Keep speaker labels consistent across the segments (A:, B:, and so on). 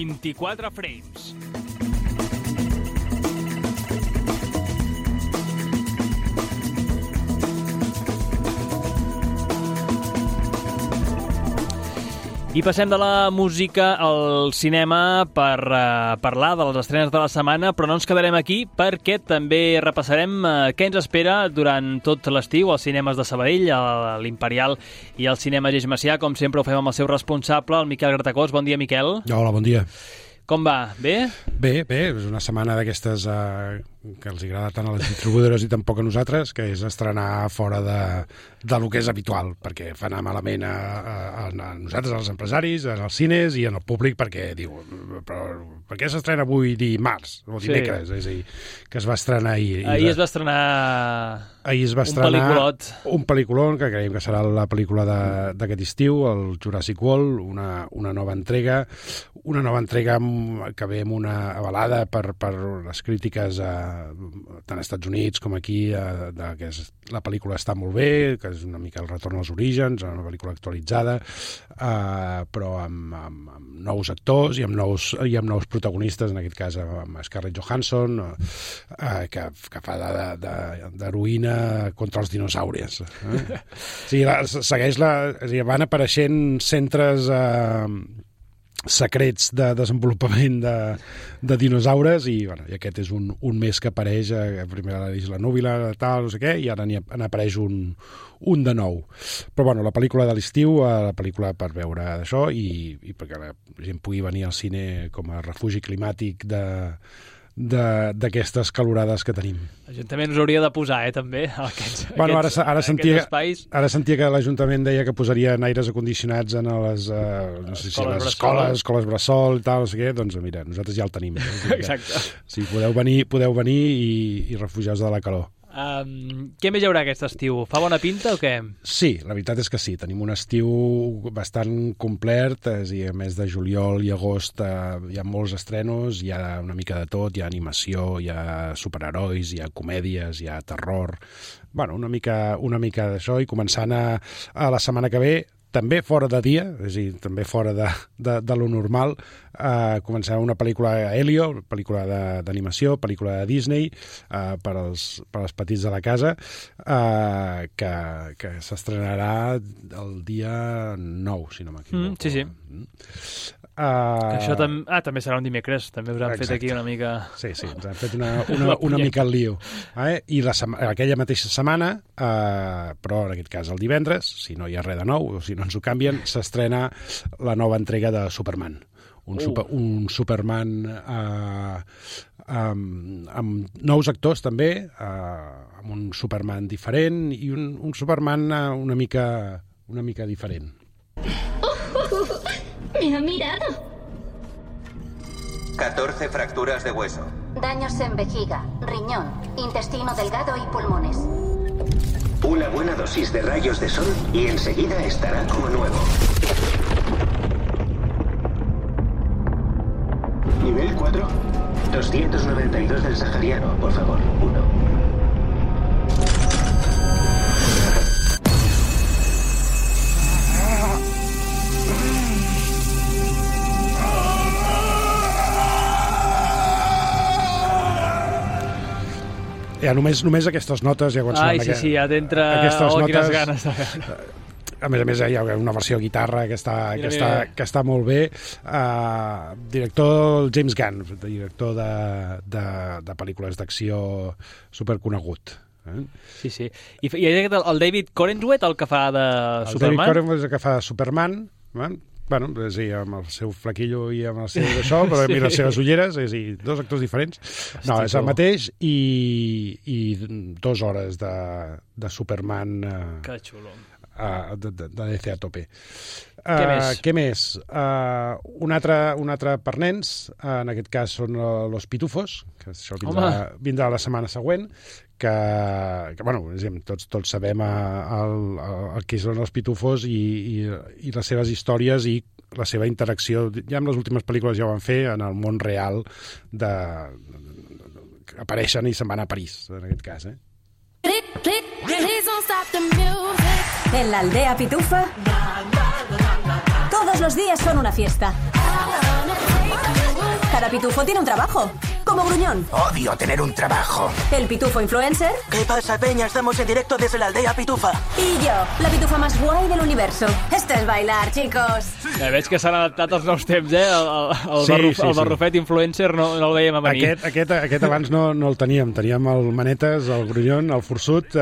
A: 24 frames. I passem de la música al cinema per parlar de les estrenes de la setmana, però no ens quedarem aquí perquè també repassarem què ens espera durant tot l'estiu als cinemes de Sabadell, a l'Imperial i al cinema Geix Macià. Com sempre ho fem amb el seu responsable, el Miquel Gratacós. Bon dia, Miquel.
B: Hola, bon dia.
A: Com va? Bé?
B: Bé, és una setmana d'aquestes que els agrada tant a les distribuïdores i tampoc a nosaltres, que és estrenar fora de lo que és habitual, perquè fa anar malament a nosaltres, als empresaris, als cines i en el públic, perquè diu, però per què s'estrena avui dimarts o dimecres? Sí. És a dir, que es va estrenar ahir.
A: Ahir es va estrenar
B: un pel·lículon, que creiem que serà la pel·lícula d'aquest estiu, el Jurassic World, una nova entrega que ve amb una avalada per les crítiques tant als Estats Units com aquí, que la pel·lícula està molt bé, que és una mica el retorn als orígens, una pel·lícula actualitzada, però amb nous actors i amb nous protagonistes, en aquest cas amb Scarlett Johansson, que fa d'heroïna contra els dinosaures. Sí, van apareixent centres secrets de desenvolupament de dinosaures i aquest és un més que apareix, primer a l'Isla Núbila, tal, no sé què, i ara n'apareix un de nou. Però la pel·lícula de l'estiu, la pel·lícula per veure d'això i perquè la gent pugui venir al cine com a refugi climàtic d'aquestes calorades que tenim.
A: L'Ajuntament us hauria de posar, també, aquests espais.
B: Ara sentia que l'Ajuntament deia que posarien aires acondicionats en les, no sé si les escoles bressol i tal, no sé què, doncs mira, nosaltres ja el tenim.
A: Exacte.
B: Sí, podeu venir i refugiar-vos de la calor.
A: Què més hi haurà aquest estiu? Fa bona pinta o què?
B: Sí, la veritat és que sí. Tenim un estiu bastant complet, i a més de juliol i agost hi ha molts estrenos, hi ha una mica de tot, hi ha animació, hi ha superherois, hi ha comèdies, hi ha terror, una mica d'això, i començant a la setmana que ve, també fora de dia, és a dir, també fora de lo normal, començarà una pel·lícula Helio, pel·lícula d'animació, pel·lícula de Disney, per als petits de la casa, que s'estrenarà el dia 9, si no m'equivoco.
A: Sí. Això també serà un dimecres, també us han fet aquí una mica...
B: Sí, ens han fet una mica el lío. I aquella mateixa setmana, però en aquest cas el divendres, si no hi ha res de nou, o si no ens ho canvien, s'estrena la nova entrega de Superman. Un Superman amb nous actors també, amb un Superman diferent i un Superman una mica diferent.
C: ¡Me ha mirado!
D: 14 fracturas de hueso.
C: Daños en vejiga, riñón, intestino delgado y pulmones.
D: Una buena dosis de rayos de sol y enseguida estará como nuevo. Nivel 4. 292 del sahariano, por favor. 1.
B: Ja, només aquestes notes, ja quan
A: sonen... Sí, ja t'entra... Quines ganes de veure.
B: A més, hi ha una versió de guitarra que està molt bé. Director James Gunn, director de pel·lícules d'acció superconegut.
A: Sí. I el David Corenswet, el que fa de Superman?
B: El David Corenswet és el que fa de Superman, sí, amb el seu flaquillo i amb el seu d'això, però mira les seves ulleres, és a dir, dos actors diferents. No, és el mateix i 2 hores de Superman
A: que xulo.
B: De DC a tope.
A: Què més?
B: Un altre per nens, en aquest cas són Los Pitufos, que això vindrà la setmana següent, que tots sabem el que són els Pitufos i les seves històries i la seva interacció. Ja amb les últimes pel·lícules ja ho van fer en el món real, que apareixen i se'n van a París, en aquest cas.
E: En la aldea Pitufa, todos los días son una fiesta. Cada pitufo tiene un trabajo, como Gruñón.
F: Odio tener un trabajo.
E: El pitufo influencer.
F: ¿Qué pasa, peña? Estamos en directo desde la aldea Pitufa.
E: Y yo, la pitufa más guai del universo. Esto es bailar, chicos.
A: Ja, veig que s'han adaptat als nous temps, el barrufet influencer no el veiem a venir.
B: Aquest abans no el teníem. Teníem el Manetes, el Grunyón, el Forçut,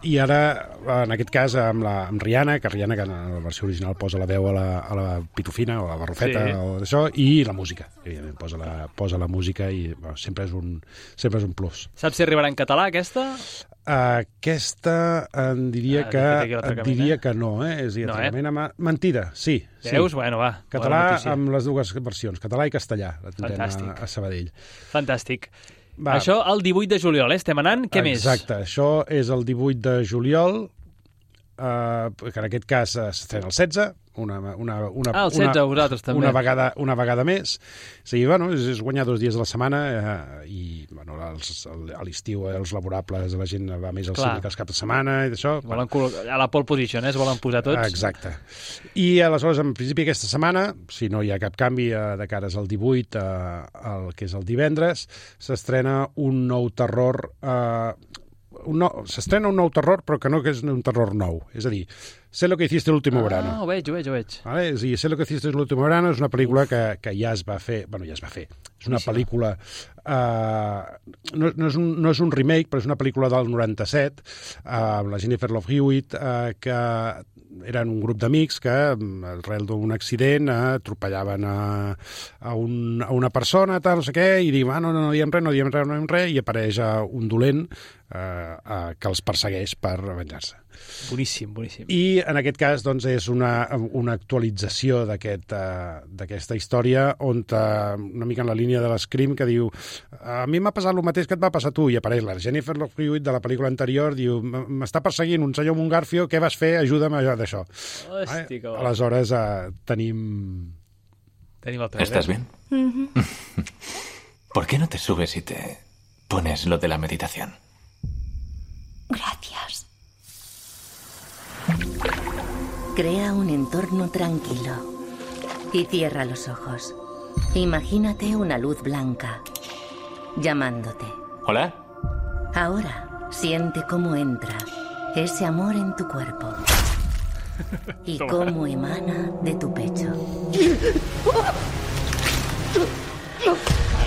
B: i ara, en aquest cas, amb Rihanna, que Rihanna, que en la versió original posa la veu a la pitufina o a la barrufeta o d'això, i la música. Evidentment, posa la música i sempre és un plus.
A: Saps si arribarà en català, aquesta?
B: Aquesta diria que no, és a dir, mentida, sí.
A: Veus? Bueno, va.
B: Català amb les dues versions, català i castellà, la tindrem a Sabadell.
A: Fantàstic. Això el 18 de juliol, estem anant. Què més?
B: Exacte, això és el 18 de juliol, que en aquest cas s'estrena el 16,
A: el 16, vosaltres també.
B: Una vegada més. És guanyar 2 dies a la setmana i a l'estiu els laborables, la gent va més al cine que els caps de setmana i d'això.
A: A la pole position, es volen posar tots.
B: Exacte. I aleshores, en principi, aquesta setmana, si no hi ha cap canvi de cares al 18, que és el divendres, s'estrena un nou terror... s'estrena un nou terror, però que no és un terror nou. És a dir, Sé lo que hiciste el último verano.
A: Ho veig.
B: Vale? És a dir, Sé lo que hiciste el último verano és una pel·lícula que ja es va fer. Bueno, ja es va fer. És una pel·lícula... no és un remake, però és una pel·lícula del 97, amb la Jennifer Love Hewitt, que eren un grup d'amics que, arrel d'un accident, atropellaven a una persona, tal, no sé què, i diuen, no diem res, i apareix un dolent que els persegueix per venjar-se.
A: Boníssim.
B: I en aquest cas doncs, és una actualització d'aquesta història on una mica en la línia de l'Scream que diu a mi m'ha passat el mateix que et va passar a tu i apareix la Jennifer Love Hewitt de la pel·lícula anterior, diu m'està perseguint un senyor amb un garfio, què vas fer? Ajuda'm a d'això.
A: Hòstia,
B: aleshores tenim
A: el trailer.
G: ¿Estás bien? ¿Por qué no te subes y te pones lo de la meditación?
E: Gracias.
H: Crea un entorno tranquilo y cierra los ojos. Imagínate una luz blanca llamándote.
G: ¿Hola?
H: Ahora siente cómo entra ese amor en tu cuerpo y cómo emana de tu pecho.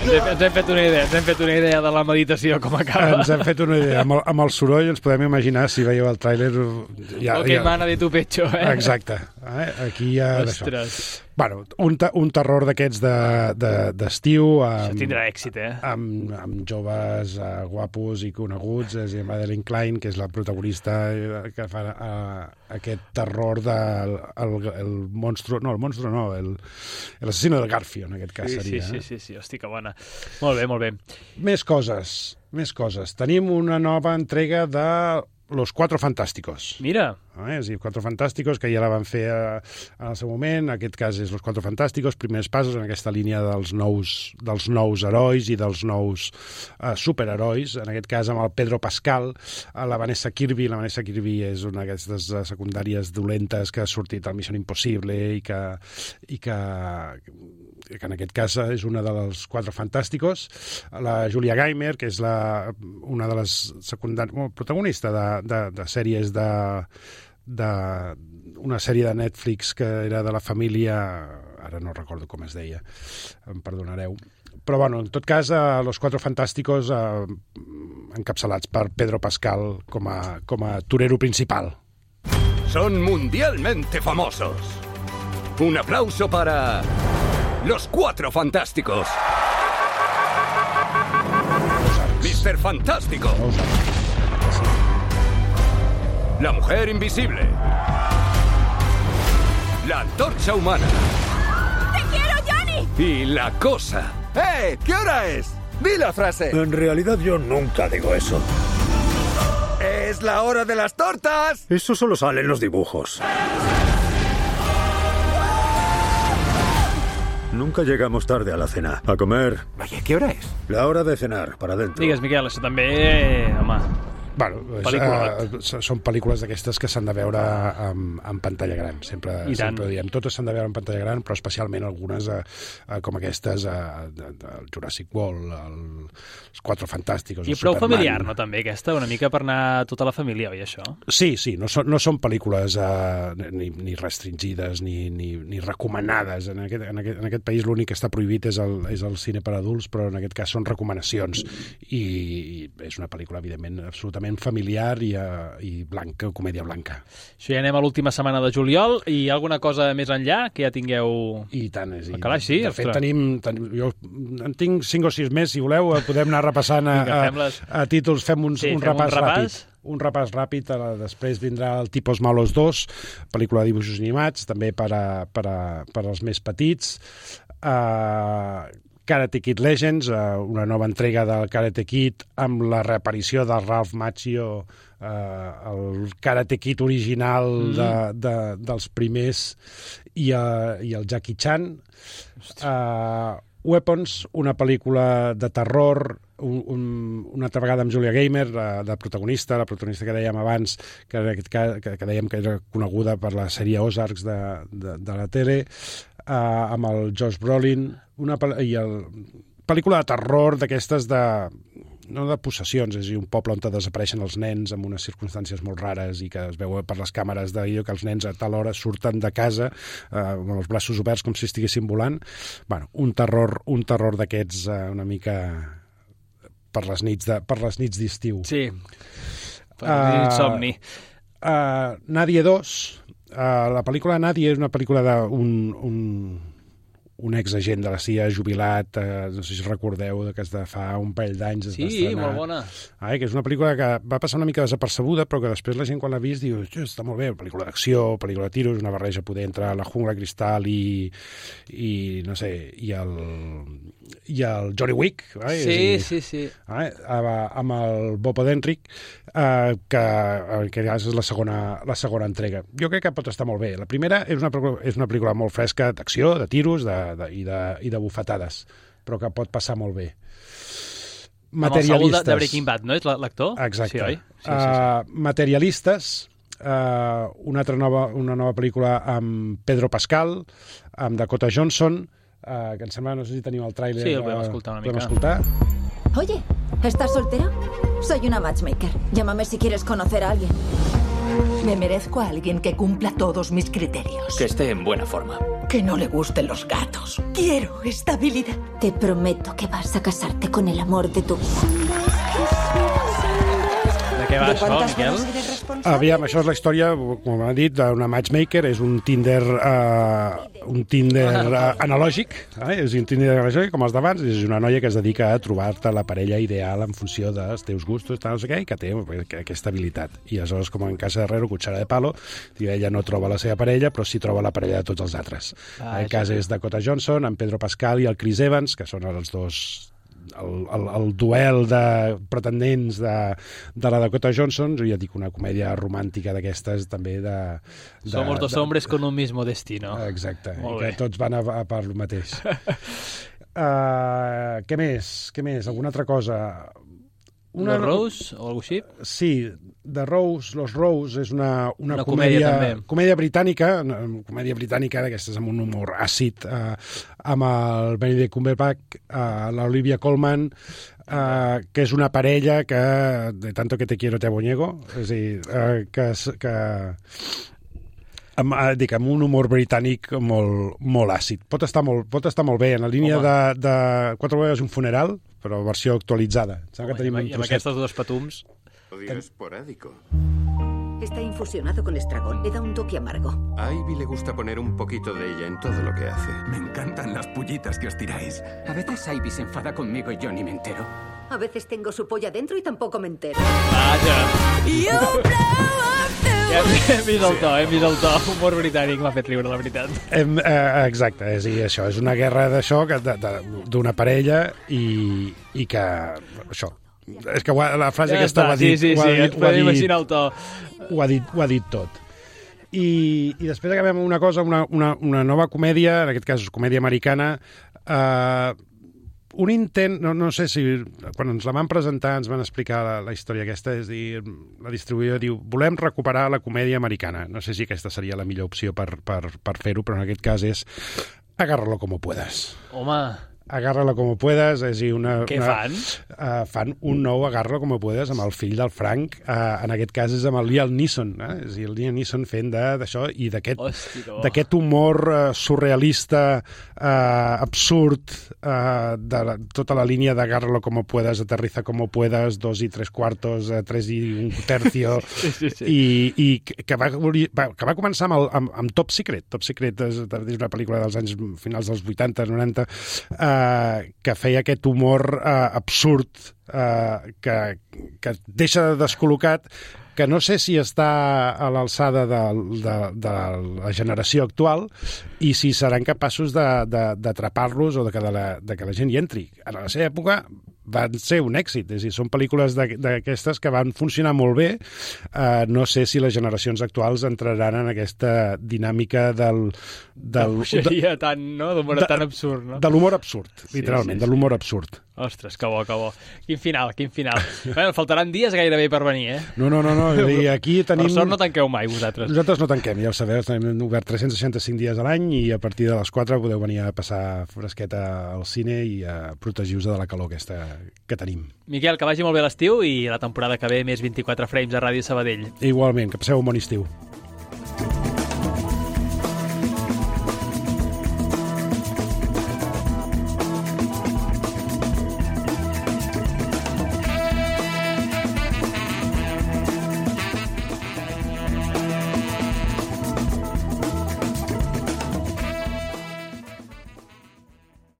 A: Ens hem fet una idea de la meditació, com acaba.
B: Ens hem fet una idea. Amb el soroll ens podem imaginar, si veieu el tràiler...
A: El que emana de tu pecho, eh?
B: Exacte. Aquí hi ha d'això. Bueno, un terror d'aquests d'estiu...
A: Això tindrà èxit, eh?
B: Amb joves guapos i coneguts, és a dir, Madeline Klein, que és la protagonista que fa aquest terror del monstru... No, el monstru no, l'assassino del Garfio, en aquest cas seria.
A: Sí, hosti, que bona. Molt bé. Més
B: coses. Tenim una nova entrega de Los Cuatro Fantásticos.
A: Mira.
B: És a dir, Cuatro Fantásticos, que ja la van fer en el seu moment. En aquest cas és Los Cuatro Fantásticos, primers passos en aquesta línia dels nous herois i dels nous superherois. En aquest cas amb el Pedro Pascal, la Vanessa Kirby. La Vanessa Kirby és una d'aquestes secundàries dolentes que ha sortit al Mission Impossible i que en aquest cas és una dels Cuatro Fantásticos. La Julia Gaymer, que és una de les protagonistes de sèries una sèrie de Netflix que era de la família, ara no recordo com es deia, em perdonareu, però bueno, en tot cas Los Cuatro Fantásticos encapçalats per Pedro Pascal com a torero principal.
I: Son mundialmente famosos. Un aplauso para Los Cuatro Fantásticos. Mr. Fantástico. La Mujer Invisible. La Antorcha Humana.
E: ¡Te quiero, Johnny!
I: Y la Cosa. ¿Qué hora es? ¡Di la frase!
J: En realidad yo nunca digo eso.
I: ¡Es la hora de las tortas!
J: Eso solo sale en los dibujos. Nunca llegamos tarde a la cena. A comer.
I: Oye, ¿qué hora es?
J: La hora de cenar, para adentro.
A: Digues, Miquel, això també, home...
B: Són pel·lícules d'aquestes que s'han de veure en pantalla gran. Sempre ho diem. Totes s'han de veure en pantalla gran, però especialment algunes com aquestes, el Jurassic World, els Quatre Fantàsticos,
A: i prou familiar, no, també, aquesta? Una mica per anar tota la família, oi, això?
B: Sí, no són pel·lícules ni restringides ni recomanades. En aquest país l'únic que està prohibit és el cine per adults, però en aquest cas són recomanacions. I és una pel·lícula, evidentment, absolutament familiar i blanca, comèdia blanca.
A: Això ja anem a l'última setmana de juliol. I hi ha alguna cosa més enllà que ja tingueu...
B: I tant,
A: al calaix, sí?
B: De fet, jo en tinc 5 o 6 més, si voleu, podem anar repassant a títols, fem un repàs ràpid. Un repàs ràpid, després vindrà el Tipos Malos 2, pel·lícula de dibuixos animats, també per als més petits. Karate Kid Legends, una nova entrega del Karate Kid amb la reaparició del Ralph Macchio, el Karate Kid original dels primers, i el Jackie Chan. Weapons, una pel·lícula de terror, una altra vegada amb Julia Gaymer, la protagonista que dèiem abans, que dèiem que era coneguda per la sèrie Ozarks de la tele, amb el Josh Brolin, pel·lícula de terror d'aquestes no de possessions, és a dir, un poble on desapareixen els nens en unes circumstàncies molt rares i que es veu per les càmeres d'allò que els nens a tal hora surten de casa amb els braços oberts com si estiguessin volant. Bueno, un terror d'aquests una mica per les nits d'estiu.
A: Sí, per les nits somni.
B: Nadia 2, la pel·lícula Nadia és una pel·lícula un exagent de la CIA jubilat, no sé si recordeu, que és de fa un parell d'anys.
A: Sí, molt bona.
B: Que és una pel·lícula que va passar una mica desapercebuda, però que després la gent quan l'ha vist diu, està molt bé, pel·lícula d'acció, pel·lícula de tiros, una barreja poder entre la Jungla Cristal i no sé, i el Johnny Wick.
A: Sí.
B: Amb el Bob Odenkirk, que és la segona entrega. Jo crec que pot estar molt bé. La primera és una pel·lícula molt fresca d'acció, de tiros, i de bufetades, però que pot passar molt bé.
A: Materialistes. Amb el Saúl de Breaking Bad, no? És l'actor?
B: Exacte.
A: Sí, oi? Sí.
B: Materialistes, una nova pel·lícula amb Pedro Pascal, amb Dakota Johnson, que em sembla, no sé si teniu el tràiler.
A: Sí, el podem escoltar una mica.
B: ¿Podem escoltar?
E: Oye, ¿estás soltero? Soy una matchmaker. Llámame si quieres conocer a alguien.
K: Me merezco a alguien que cumpla todos mis criterios.
G: Que esté en buena forma.
K: Que no le gusten los gatos. Quiero estabilidad.
E: Te prometo que vas a casarte con el amor de tu vida.
A: De què va això, Miquel?
B: Aviam, això és la història, com hem dit, d'una matchmaker, és un Tinder analògic, és un Tinder analògic com els d'abans, és una noia que es dedica a trobar-te la parella ideal en funció dels teus gustos, no sé què, i que té aquesta habilitat. I aleshores, com en Casa Herrero, cuchara de palo, ella no troba la seva parella, però sí troba la parella de tots els altres. El cas és Dakota Johnson, en Pedro Pascal i el Chris Evans, que són els dos... el duel de pretendents de la Dakota Johnson, ja dic, una comèdia romàntica d'aquestes també
A: Somos dos hombres con un mismo destino.
B: Exacte, i que tots van a per el mateix. Què més? Alguna altra cosa?
A: Los Rose o alguna així?
B: Sí, Los Rose és una comèdia britànica, d'aquestes amb un humor àcid, amb el Benedict Cumberbatch, l'Olivia Colman, que és una parella que, de tanto que te quiero te abonyego, és a dir, amb un humor britànic molt àcid. Pot estar molt bé, en la línia de 4 vegades un funeral, però versió actualitzada.
A: I amb aquestes dos patums...
L: Odio esporádico.
M: Está infusionado con estragón. Le da un toque amargo.
L: A Ivy le gusta poner un poquito de ella en todo lo que hace.
N: Me encantan las pullitas que os tiráis. A veces Ivy se enfada conmigo y yo ni me entero.
M: A veces tengo su polla dentro y tampoco me entero.
A: Hem vist el to. Humor britànic m'ha fet riure, la veritat.
B: Exacte, això és una guerra d'això, d'una parella i que... això... És que la frase aquesta ho ha dit.
A: Sí, ens podem imaginar el to.
B: Ho ha dit tot. I després acabem amb una cosa, una nova comèdia, en aquest cas comèdia americana, un intent, no sé si quan ens la van presentar ens van explicar la història aquesta, és dir, la distribuïdora diu, volem recuperar la comèdia americana. No sé si aquesta seria la millor opció per fer-ho, però en aquest cas és agárralo como puedas.
A: Home...
B: Agárralo como puedas, és a dir,
A: Què fan?
B: Fan un nou Agárralo como puedas amb el fill del Frank, en aquest cas és amb el Liam Neeson, és a dir, el Liam Neeson fent d'això i d'aquest humor surrealista, absurd, de tota la línia d'Agárralo como puedas, Aterriza como puedas, 2 y 3/4, 3 y 1/3, i que va començar amb Top Secret. Top Secret és una pel·lícula dels anys finals dels 80, 90, que feia aquest humor absurd que deixa descol·locat, que no sé si està a l'alçada de la generació actual i si seran capaços d'atrapar-los o de que la gent hi entri. En la seva època van ser un èxit, és a dir, són pel·lícules d'aquestes que van funcionar molt bé. No sé si les generacions actuals entraran en aquesta dinàmica del
A: Puixeria tan, no? D'humor tan absurd, no?
B: De l'humor absurd, literalment, de l'humor absurd.
A: Ostres, que bo, que bo. Quin final. Bueno, faltaran dies gairebé per venir, eh?
B: No. I aquí tenim...
A: Per sort no tanqueu mai, vosaltres.
B: Nosaltres no tanquem, ja ho sabeu, tenim obert 365 dies a l'any i a partir de les 4 podeu venir a passar fresqueta al cine i a protegir-vos de la calor aquesta que tenim.
A: Miquel, que vagi molt bé l'estiu i la temporada que ve més 24 frames a Ràdio Sabadell.
B: Igualment, que passeu un bon estiu.